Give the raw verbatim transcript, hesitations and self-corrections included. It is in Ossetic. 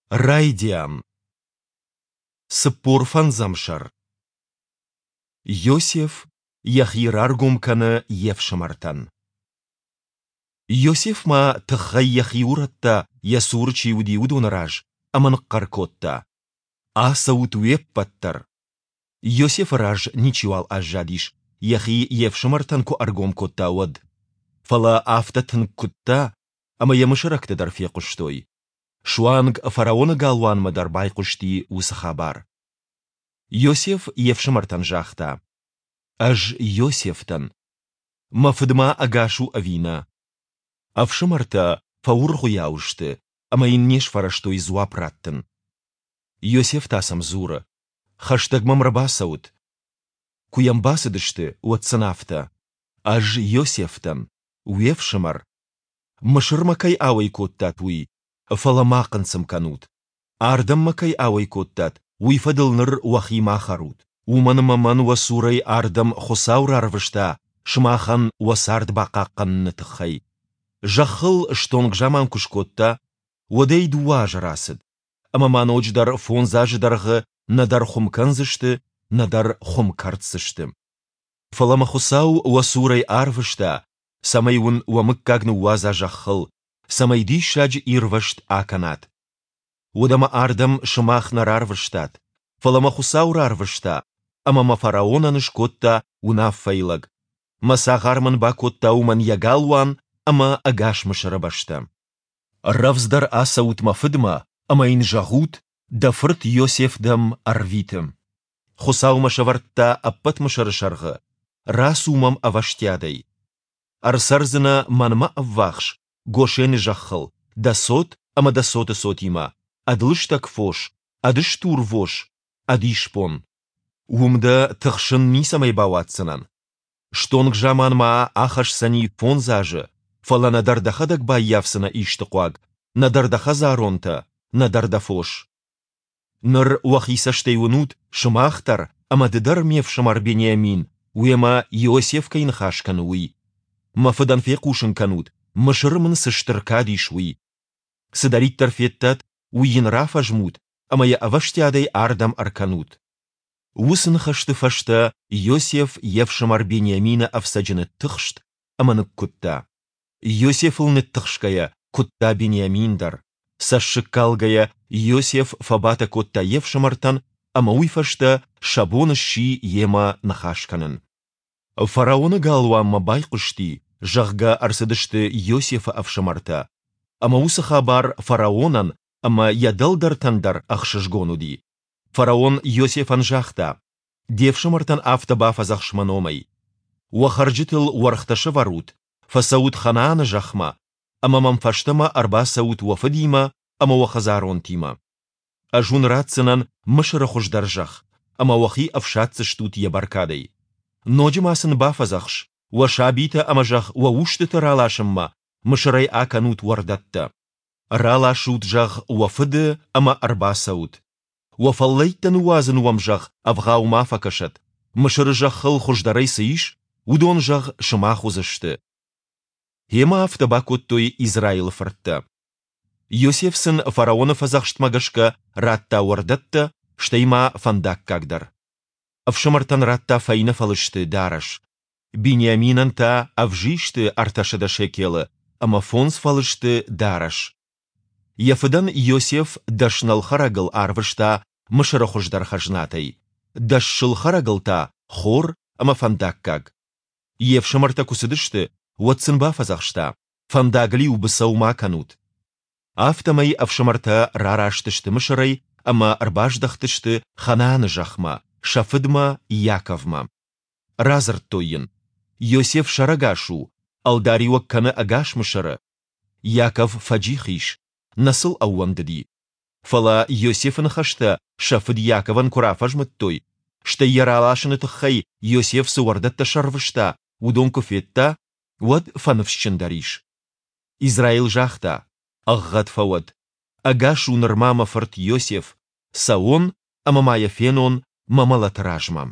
Райдиан. Цыппор фӕндзӕм сӕр. Иосиф йӕхи раргом кӕны йе фсымӕртӕн. Иосиф ма тыххӕй йӕхи урӕдта, йӕ цуры чи уыди, уыдоны раз, ӕмӕ ныхъхъӕр кодта: Ацӕут уе ппӕт дӕр! Иосифы раз ничиуал аззадис, йӕхи йе фсымӕртӕн куы ӕргом кодта, уӕд. Фӕлӕ афтӕ тынг куыдта, ӕмӕ йӕ мысырӕгтӕ дӕр фехъуыстой. Суанг фараоны галуанмӕ дӕр байхъуысти уыцы хабар. Иосиф йе фсымӕртӕн загъта: Ӕз Иосиф дӕн. Мӕ фыд ма ӕгас у ӕви нӕ? Ӕфсымӕртӕ фӕуыргъуыйау сты ӕмӕ йын не сфӕрӕзтой дзуапп раттын. Иосиф та сӕм дзуры: Хӕстӕг мӕм ӕрбацӕут. Куы йӕм бацыдысты, уӕд сын афтӕ: Ӕз Иосиф дӕн, уе фсымӕр. Мысырмӕ кӕй ауӕй кодтат, уый, фӕлӕ ма хъынцъым кӕнут. Ардӕм мӕ кӕй ауӕй кодтат, уый фӕдыл ныр уӕхи ма хӕрут, уымӕн ӕмӕ мӕн уӕ цурӕй ардӕм Хуыцау рарвыста сымахӕн уӕ цард бахъахъхъӕныны тыххӕй. Зӕххыл стонг заман куы скодта, уӕдӕй дыууӕ азы рацыд, ӕмӕ ма ноджыдӕр фондз азы дӕргъы нӕдӕр хуым кӕндзысты, нӕдӕр хуым кӕрддзысты. Фӕлӕ мӕ Хуыцау уӕ цурӕй арвыста, цӕмӕй уын уӕ мыггаг ныууадза зӕххыл, цӕмӕй диссаджы ирвӕзт акӕнат. Уӕдӕ мӕ ардӕм сымах нӕ рарвыстат, фӕлӕ мӕ Хуыцау рарвыста, ӕмӕ мӕ фараонӕн скодта уынаффӕйы лӕг, мӕ цагъар мын бакодта уымӕн йӕ галуан ӕмӕ ӕгас Мысыры бӕстӕ. Рӕвдздӕр ацӕут мӕ фыдмӕ ӕмӕ йын зӕгъут, дӕ фырт Иосиф дӕм ӕрвиты. Хуыцау мӕ сӕвӕрдта ӕппӕт Мысыры сӕргъы, рацу мӕм ӕвӕстиатӕй. Ӕрцӕрдзынӕ мӕнмӕ ӕввахс, Гошены зӕххыл, дӕ цот ӕмӕ дӕ цоты цотимӕ, ӕд лыстӕг фос, ӕд стурвос, ӕд исбон. Уым дӕ тыхсын ницӕмӕй бауадздзынӕн. Стонг заман ма ахӕсдзӕни фондз азы, фӕлӕ нӕдӕр дӕхӕдӕг баййафдзынӕ исты хъуаг, нӕдӕр дӕ хӕдзаронтӕ, нӕдӕр дӕ фос. Ныр уӕхи цӕстӕй уынут, сымах дӕр ӕмӕ ды дӕр, ме фсымӕр Бениамин, уемӕ Иосиф кӕй ныхас кӕны, уый. Мӕ фыдӕн фехъусын кӕнут, Мысыры мын цы стыр кад ис, уый. Цыдӕриддӕр федтат, уый йын рафӕзмут ӕмӕ йӕ ӕвӕстиатӕй ардӕм ӕркӕнут. Уыцы ныхӕсты фӕстӕ Иосиф йе фсымӕр Бениамины ӕфцӕджы ныттыхст ӕмӕ ныккуыдта. Иосифыл ныттыхсгӕйӕ, куыдта Бениамин дӕр. Цӕссыгкалгӕйӕ Иосиф фӕбатӕ кодта йе фсымӕртӕн ӕмӕ уый фӕстӕ сӕ бон сси йемӕ ныхас кӕнын. Фараоны галуанмӕ байхъуысти, зӕгъгӕ, ӕрцыдысты Иосифы ӕфсымӕртӕ. Ӕмӕ уыцы хабар фараонӕн ӕмӕ йӕ дӕлдӕртӕн дӕр ӕхсызгон уыди. Фараон Иосифӕн загъта: Де фсымӕртӕн афтӕ бафӕдзӕхс мӕ номӕй. Уӕ хӕрджытыл уӕргътӕ сӕвӕрут, фӕцӕут Ханааны зӕхмӕ, ӕмӕ мӕм фӕстӕмӕ ӕрбацӕут уӕ фыдимӕ ӕмӕ уӕ хӕдзаронтимӕ. Ӕз уын ратдзынӕн Мысыры хуыздӕр зӕхх, ӕмӕ уӕхи ӕфсаддзыстут йӕ бӕркадӕй. Ноджы ма сын бафӕдзӕхс, уӕ сабитӕ ӕмӕ, зӕгъ, уӕ устыты раласынмӕ Мысырӕй акӕнут уӕрдӕттӕ. Раласут, зӕгъ, уӕ фыды ӕмӕ ӕрбацӕут. Уӕ фӕллӕйттӕ ныууадзын уӕм, зӕгъ, ӕвгъау ма фӕкӕсӕд. Мысыры зӕххыл хуыздӕрӕй цы ис, уыдон, зӕгъ, сымах уыдзысты. Гъемӕ афтӕ бакодтой Израилы фырттӕ. Иосиф сын фараоны фӕдзӕхстмӕ гӕсгӕ радта уӕрдӕттӕ, стӕй ма фӕндаггаг дӕр. Ӕфсымӕртӕн радта фӕйнӕ фӕлысты дарӕс, Бениаминӕн та ӕвзисты ӕртӕсӕдӕ шекелы ӕмӕ фондз фӕлысты дарӕс. Йӕ фыдӕн Иосиф дӕс нӕлхӕрӕгыл арвыста Мысыры хуыздӕр хӕзнатӕй, дӕс сылхӕрӕгыл та хор ӕмӕ фӕндаггаг. Йе фсымӕртӕ куы цыдысты, уӕд сын бафӕдзӕхста, фӕндагыл-иу быцӕу ма кӕнут. Афтӕмӕй ӕфсымӕртӕ рараст сты Мысырӕй ӕмӕ ӕрбаздӕхтысты Ханааны зӕхмӕ, сӕ фыдмӕ Иаковмӕ. Радзырдтой йын, Иосиф сӕрӕгас у, ӕлдариуӕг кӕны ӕгас Мысыры. Иаков фӕджих ис, нӕ сыл ӕууӕндыди. Фӕлӕ Иосифы ныхӕстӕ сӕ фыд Иаковӕн куы рафӕзмыдтой, стӕй йӕ раласыны тыххӕй Иосиф цы уӕрдӕттӕ сӕрвыста, уыдон куы федта, уӕд фӕныфсджындӕр ис. Израил загъта, Ӕгъгъӕд фӕуӕд, ӕгас у нырма мӕ фырт Иосиф, цӕуон ӕмӕ ма йӕ фенон мӕ мӕлӕты размӕ.